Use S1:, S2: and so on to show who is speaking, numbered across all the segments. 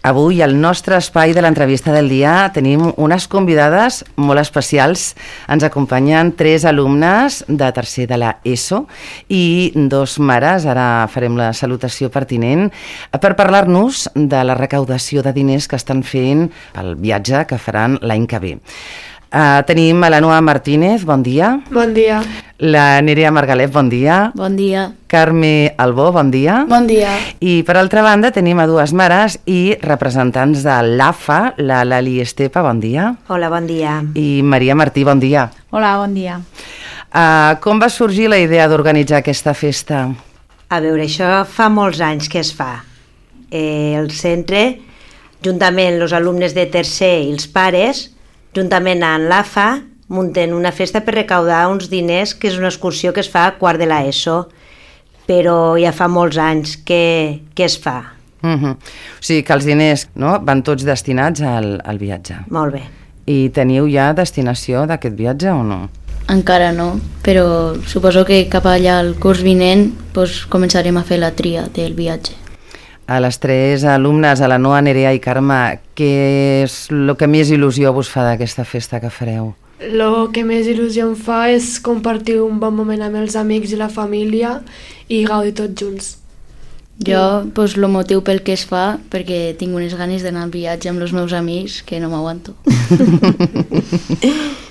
S1: Avui, al nostre espai de l'entrevista del dia, tenim unes convidades molt especials. Ens acompanyen 3 alumnes de tercer de la ESO i 2 mares, ara farem la salutació pertinent, per parlar-nos de la recaudació de diners que estan fent pel viatge que faran l'any que ve. Tenim a la Noa Martínez, bon dia.
S2: Bon dia.
S1: La Nerea Margalet, bon dia.
S3: Bon dia.
S1: Carme Albó, bon dia.
S2: Bon dia.
S1: I per altra banda tenim a 2 mares i representants de l'AFA, la Lali Estepa, bon dia.
S4: Hola, bon dia.
S1: I Maria Martí, bon dia.
S3: Hola, bon dia.
S1: Com va sorgir la idea d'organitzar aquesta festa?
S4: A veure, això fa molts anys que es fa. El centre, juntament els alumnes de tercer i els pares, juntament amb l'AFA, munten una festa per recaudar uns diners, que és una excursió que es fa a quart de l'ESO, però ja fa molts anys que es fa.
S1: O sigui que els diners, no, van tots destinats al viatge.
S4: Molt bé.
S1: I teniu ja destinació d'aquest viatge o no?
S3: Encara no, però suposo que cap allà al curs vinent començarem a fer la tria del viatge.
S1: A les 3 alumnes, a la Noa, Nerea i Carme, què és el que més il·lusió vos fa d'aquesta festa que fareu?
S2: El que més il·lusió em fa és compartir un bon moment amb els amics i la família i gaudir tots junts.
S3: Jo, el motiu pel que es fa, perquè tinc unes ganes d'anar al viatge amb els meus amics que no m'aguanto.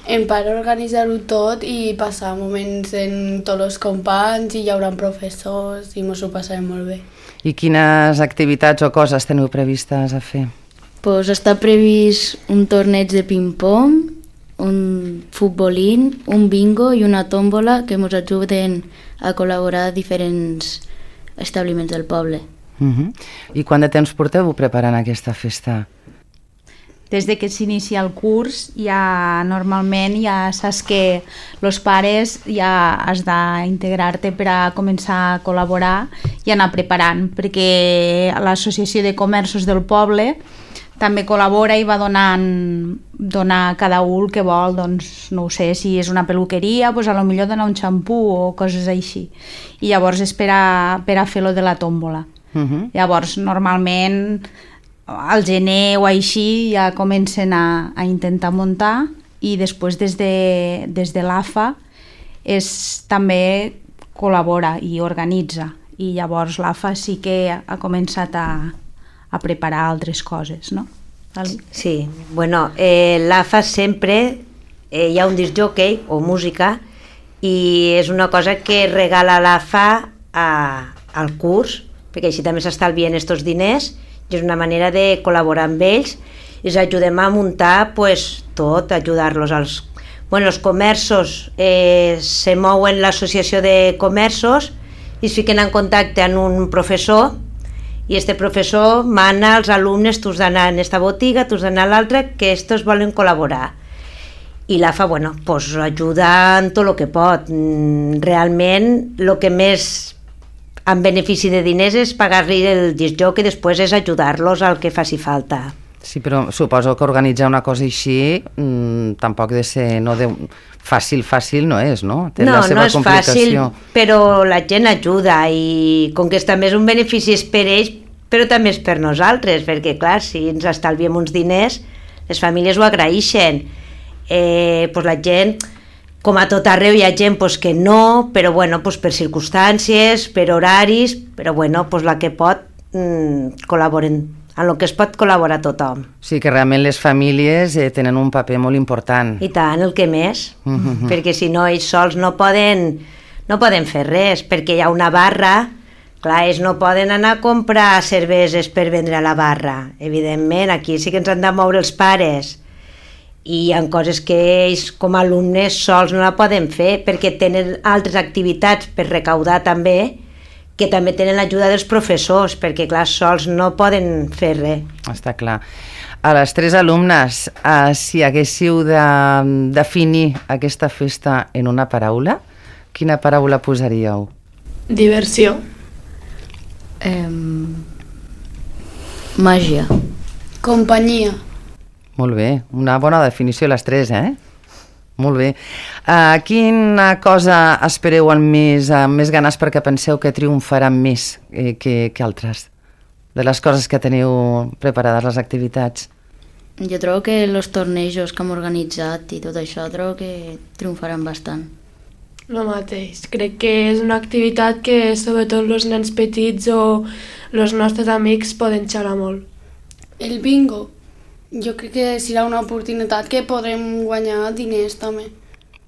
S5: En part organitzar-ho tot i passar moments amb tots els companys i hi haurà professors i ens ho passarem molt bé.
S1: I quines activitats o coses teniu previstes a fer?
S3: Està previst un torneig de ping-pong, un futbolín, un bingo i una tòmbola que ens ajuden a col·laborar a diferents establiments del poble.
S1: I quant de temps porteu preparant aquesta festa?
S6: Des de que s'inicia el curs, normalment ja saps que els pares ja has d'integrar-te per a començar a col·laborar i anar preparant, perquè l'Associació de Comerços del poble també col·labora i va donar a cada un el que vol, doncs no ho sé, si és una peluqueria, doncs potser donar un xampú o coses així. I llavors és per a fer-lo de la tòmbola. Llavors, normalment, al gener o així ja comencen a intentar muntar i després des de l'AFA també col·labora i organitza. I llavors l'AFA sí que ha començat a preparar altres coses, no?
S4: Sí, bueno, l'AFA sempre hi ha un discjòquei o música i és una cosa que regala l'AFA al curs, perquè així també s'estalvien aquests diners i és una manera de col·laborar amb ells i els ajudem a muntar tot, ajudar-los els comerços se mouen l'associació de comerços i es fiquen en contacte amb un professor i este professor mana als alumnes, tu has d'anar en esta botiga, tu has d'anar a l'altra, que estos volen col·laborar. I l'AFA, ajuda en tot el que pot. Realment, el que més en benefici de diners és pagar-li el discjòquei i després és ajudar-los al que faci falta.
S1: Sí, però suposo que organitzar una cosa així tampoc de ser fàcil no és, no? Té la seva complicació.
S4: No és fàcil, però la gent ajuda i com que també és un benefici és per ells, però també és per nosaltres, perquè clar, si ens estalviem uns diners, les famílies ho agraeixen. La gent, com a tot arreu hi ha gent que no, però per circumstàncies, per horaris, però la que pot col·laboren en el que es pot col·laborar tothom.
S1: Sí, que realment les famílies tenen un paper molt important.
S4: I tant, el que més, perquè si no ells sols no poden fer res, perquè hi ha una barra, clar, ells no poden anar a comprar cerveses per vendre a la barra, evidentment, aquí sí que ens han de moure els pares, i hi ha coses que ells com a alumnes sols no la poden fer, perquè tenen altres activitats per recaudar també, que també tenen l'ajuda dels professors, perquè clar, sols no poden fer res.
S1: Està clar. A les 3 alumnes, si haguéssiu de definir aquesta festa en una paraula, quina paraula posaríeu?
S2: Diversió.
S3: Màgia.
S5: Companyia.
S1: Molt bé, una bona definició les 3, Molt bé. Quina cosa espereu amb més ganes perquè penseu que triomfarà més que altres? de les coses que teniu preparades, les activitats?
S3: Jo trobo que els tornejos que hem organitzat i tot això trobo que triomfaran bastant.
S2: El mateix. Crec que és una activitat que sobretot els nens petits o els nostres amics poden xerrar molt.
S5: El bingo, jo crec que serà una oportunitat que podrem guanyar diners també.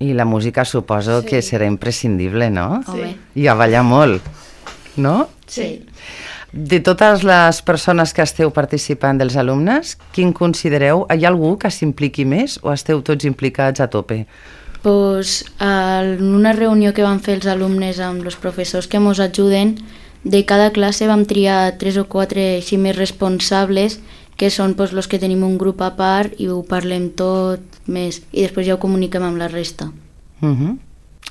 S1: I la música suposo que serà imprescindible, no?
S3: Home.
S1: I a ballar molt, no?
S3: Sí.
S1: De totes les persones que esteu participant, dels alumnes, quin considereu? Hi ha algú que s'impliqui més o esteu tots implicats a tope?
S3: Pues, en una reunió que van fer els alumnes amb els professors que ens ajuden, de cada classe vam triar 3 o 4 així més responsables, que són pues, els que tenim un grup a part i ho parlem tot més, i després ja ho comuniquem amb la resta.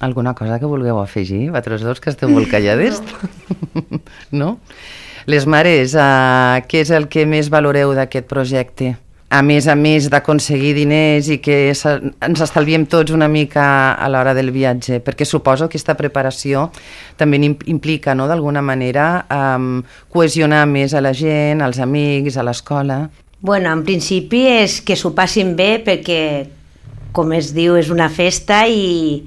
S1: Alguna cosa que vulgueu afegir, vosaltres dos, que esteu molt callades? No? Les mares, què és el que més valoreu d'aquest projecte? A més d'aconseguir diners i que ens estalviem tots una mica a l'hora del viatge, perquè suposo que aquesta preparació també implica, no, d'alguna manera, cohesionar més a la gent, als amics, a l'escola.
S4: Bueno, en principi és que s'ho passin bé perquè, com es diu, és una festa i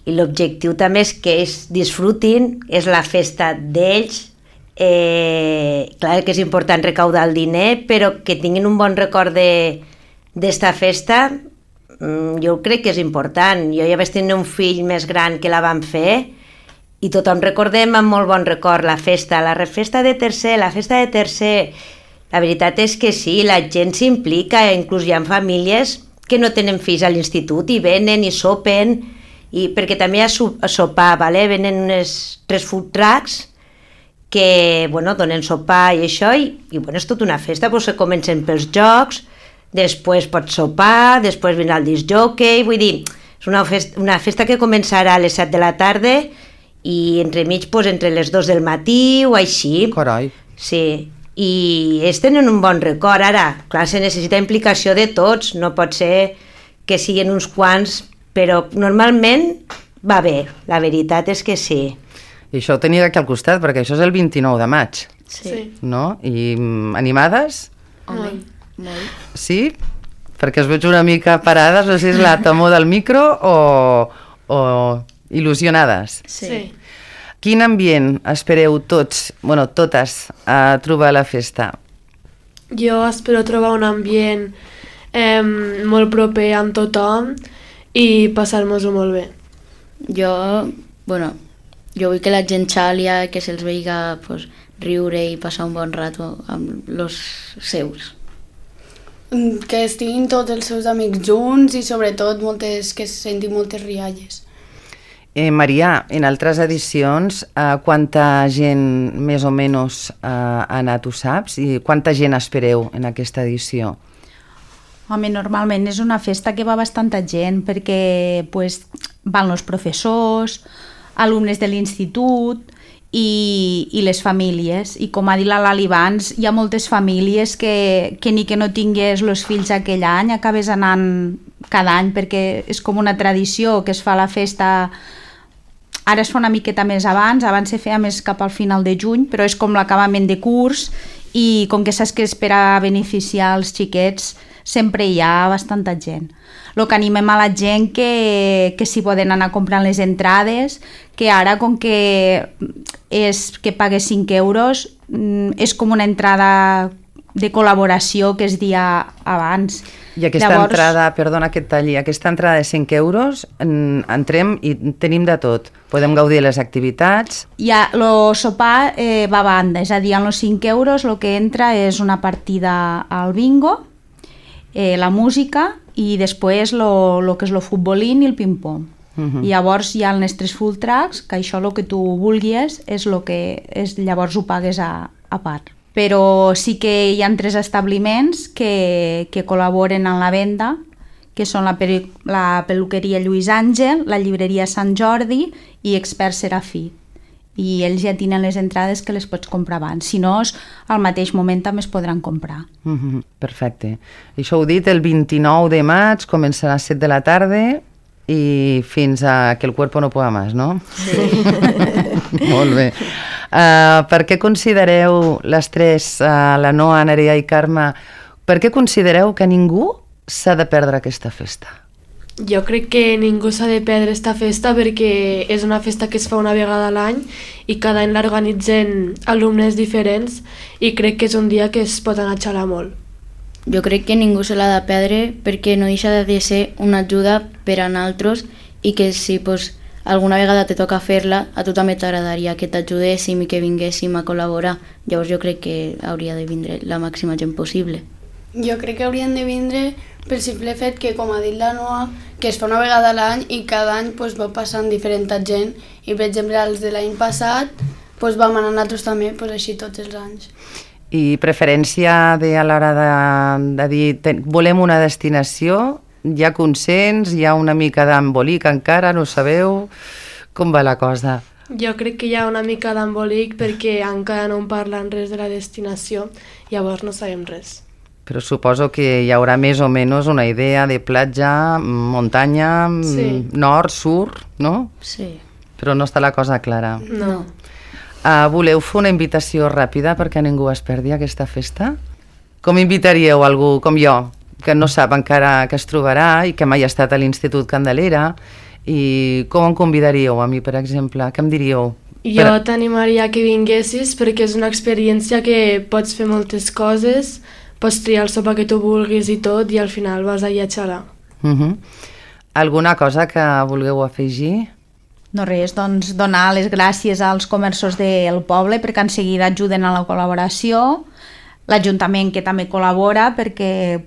S4: l'objectiu també és que ells disfrutin, és la festa d'ells. Clar que és important recaudar el diner, però que tinguin un bon record d'esta festa, jo crec que és important. Jo ja vaig tenir un fill més gran que la vam fer i tothom recordem amb molt bon record la festa de tercer, la festa de tercer. La veritat és que sí, la gent s'implica, inclús hi ha famílies que no tenen fills a l'institut i venen i sopen, perquè també hi ha sopar, vale? Venen uns 3 food trucks que donen sopar i això, i és tota una festa, se comencen pels jocs, després pots sopar, després vindrà el disc jockey, vull dir, és una festa que començarà a les 7 de la tarda i entremig entre les 2 del matí o així.
S1: Carai.
S4: Sí, i ells tenen un bon record. Ara, clar, se necessita implicació de tots, no pot ser que siguin uns quants, però normalment va bé, la veritat és que sí.
S1: I això ho tenia aquí al costat, perquè això és el 29 de maig,
S2: Sí.
S1: no? I animades?
S3: Home, molt.
S1: Sí? Perquè es veig una mica parades, no sé si és la temor del micro o il·lusionades.
S2: Sí.
S1: Quin ambient espereu tots, totes, a trobar a la festa?
S2: Jo espero trobar un ambient molt proper amb tothom i passar-nos-ho molt bé.
S3: Jo vull que la gent xalia, que se'ls veiga riure i passar un bon rato amb els seus.
S5: Que estiguin tots els seus amics junts i sobretot que se sentin moltes rialles.
S1: Maria, en altres edicions, quanta gent més o menys ha anat, ho saps? I quanta gent espereu en aquesta edició?
S6: Home, normalment és una festa que va bastanta gent perquè van els professors, alumnes de l'institut i les famílies. I com ha dit la Lali abans, hi ha moltes famílies que ni que no tingués els fills aquell any, acabes anant cada any perquè és com una tradició que es fa la festa. Ara es fa una miqueta més abans se feia més cap al final de juny, però és com l'acabament de curs i com que saps que és per a beneficiar els xiquets, sempre hi ha bastanta gent. El que animem a la gent que s'hi poden anar comprant les entrades, que ara com que pagues 5 euros és com una entrada de col·laboració que es dia abans.
S1: I aquesta entrada, perdona que et talli, aquesta entrada de 5 euros, entrem i tenim de tot. Podem gaudir de les activitats.
S6: El sopar va a banda, és a dir, amb els 5 euros el que entra és una partida al bingo, la música i després el que és el futbolín i el ping-pong. I llavors hi ha els nostres full tracks, que això el que tu vulguis és el que llavors ho pagues a part. Però sí que hi ha 3 establiments que col·laboren en la venda, que són la peluqueria Lluís Àngel, la llibreria Sant Jordi i Expert Serafí. I ells ja tenen les entrades que les pots comprar abans. Si no, al mateix moment també es podran comprar.
S1: Perfecte. Això ho dit, el 29 de maig començarà a les 7 de la tarda i fins a que el cuerpo no pueda más, no?
S3: Sí.
S1: Molt bé. Per què considereu, les tres, la Noa, Nerea i Carme, per què considereu que ningú s'ha de perdre aquesta festa?
S2: Jo crec que ningú s'ha de perdre aquesta festa perquè és una festa que es fa una vegada a l'any i cada any l'organitzen alumnes diferents i crec que és un dia que es pot anar a xalar molt.
S3: Jo crec que ningú se l'ha de perdre perquè no deixa de ser una ajuda per a nosaltres i que si alguna vegada te toca fer-la, a tu també t'agradaria que t'ajudéssim i que vinguéssim a col·laborar. Llavors jo crec que hauria de vindre la màxima gent possible.
S5: Jo crec que haurien de vindre pel simple fet que, com ha dit la Noa, que es fa una vegada a l'any i cada any va passant diferent gent i, per exemple, els de l'any passat vam anar nosaltres també així tots els anys.
S1: I preferència a l'hora de dir volem una destinació, hi ha consens, hi ha una mica d'embolic encara, no sabeu com va la cosa?
S2: Jo crec que hi ha una mica d'embolic perquè encara no en parlen res de la destinació, llavors no sabem res.
S1: Però suposo que hi haurà més o menys una idea de platja, muntanya, sí. Nord, sud, no?
S3: Sí.
S1: Però no està la cosa clara.
S2: No.
S1: Voleu fer una invitació ràpida perquè ningú es perdi aquesta festa? Com invitaríeu algú com jo, que no sap encara que es trobarà i que mai ha estat a l'Institut Candelera, i com em convidaríeu a mi, per exemple? Què em diríeu?
S2: Jo t'animaria que vinguessis perquè és una experiència que pots fer moltes coses, pots triar el sopar que tu vulguis i tot, i al final vas allà a xalar.
S1: Alguna cosa que vulgueu afegir?
S6: No res, doncs donar les gràcies als comerços del poble perquè en seguida ajuden a la col·laboració, l'Ajuntament que també col·labora perquè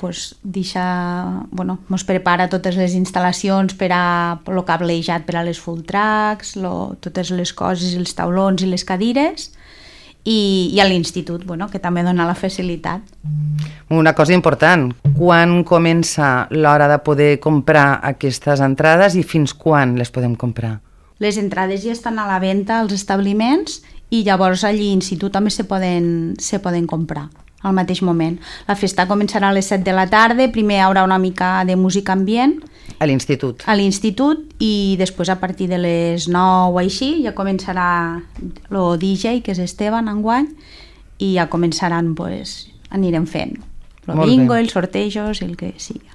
S6: mos prepara totes les instal·lacions per a el cablejat per a les full tracks, totes les coses, els taulons i les cadires, i a l'institut, que també dona la facilitat.
S1: Una cosa important, quan comença l'hora de poder comprar aquestes entrades i fins quan les podem comprar?
S6: Les entrades ja estan a la venda als establiments i llavors a l'institut també se poden comprar al mateix moment. La festa començarà a les 7 de la tarda, primer hi haurà una mica de música ambient.
S1: A l'institut? A
S6: l'institut, i després a partir de les 9 o així ja començarà el DJ, que és Esteban enguany, i ja començaran, anirem fent el bingo, els sortejos, el que sigui.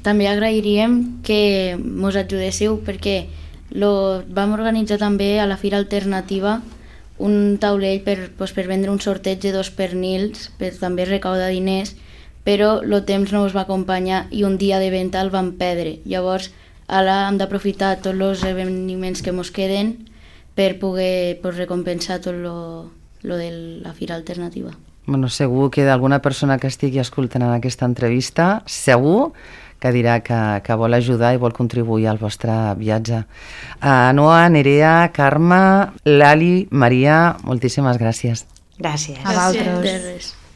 S3: També agrairíem que mos ajudéssiu perquè vam organitzar també a la Fira Alternativa un taulell per vendre un sorteig de 2 pernils per també recaudar diners, però el temps no ens va acompanyar i un dia de venda el vam perdre. Llavors ara hem d'aprofitar tots els esdeveniments que ens queden per poder recompensar tot lo de la Fira Alternativa.
S1: Segur que d'alguna persona que estigui escoltant en aquesta entrevista, segur que dirà que vol ajudar i vol contribuir al vostre viatge. Noa, Nerea, Carme, Lali, Maria, moltíssimes gràcies.
S4: Gràcies.
S3: A vosaltres.